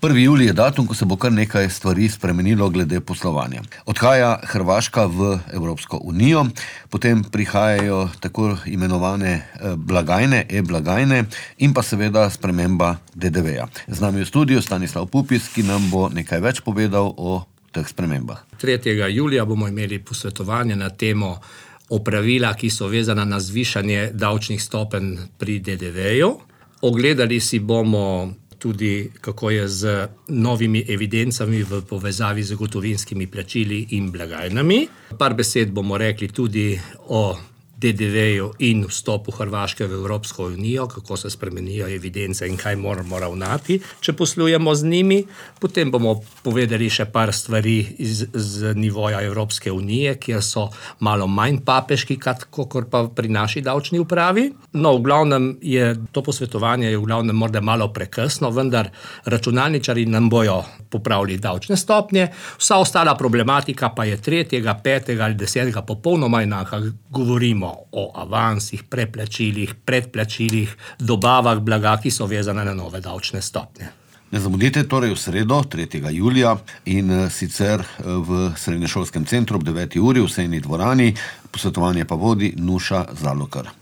1. julij je datum, ko se bo kar nekaj stvari spremenilo glede poslovanja. Odhaja Hrvaška v Evropsko unijo, potem prihajajo tako imenovane blagajne, e-blagajne in pa seveda sprememba DDV-ja. Z nami v studiu Stanislav Pupis, ki nam bo nekaj več povedal o teh spremembah. 3. julija bomo imeli posvetovanje na temo opravila, ki so vezana na zvišanje davčnih stopenj pri DDV-ju. Ogledali si bomo tudi, kako je z novimi evidencami v povezavi z gotovinskimi plačili in blagajnami. Par besed bomo rekli tudi o DDV-ju in vstopu Hrvaške v Evropsko unijo, kako se spremenijo evidence in kaj moramo ravnati, če poslujemo z njimi. Potem bomo povedali še par stvari z nivoja Evropske unije, kjer so malo manj papeški, kakor pa pri naši davčni upravi. No, v glavnem je to posvetovanje morda malo prekasno, vendar računalničarji nam bojo popravili davčne stopnje. Vsa ostala problematika pa je 3., 5. ali 10. popolnoma enaka. Govorimo o avansih, preplačilih, predplačilih, dobavah blaga, ki so vezane na nove davčne stopnje. Ne zamudite torej v sredo, 3. julija in sicer v srednješolskem centru ob 9. uri v sejni dvorani. Posvetovanje pa vodi Nuša Zalokar.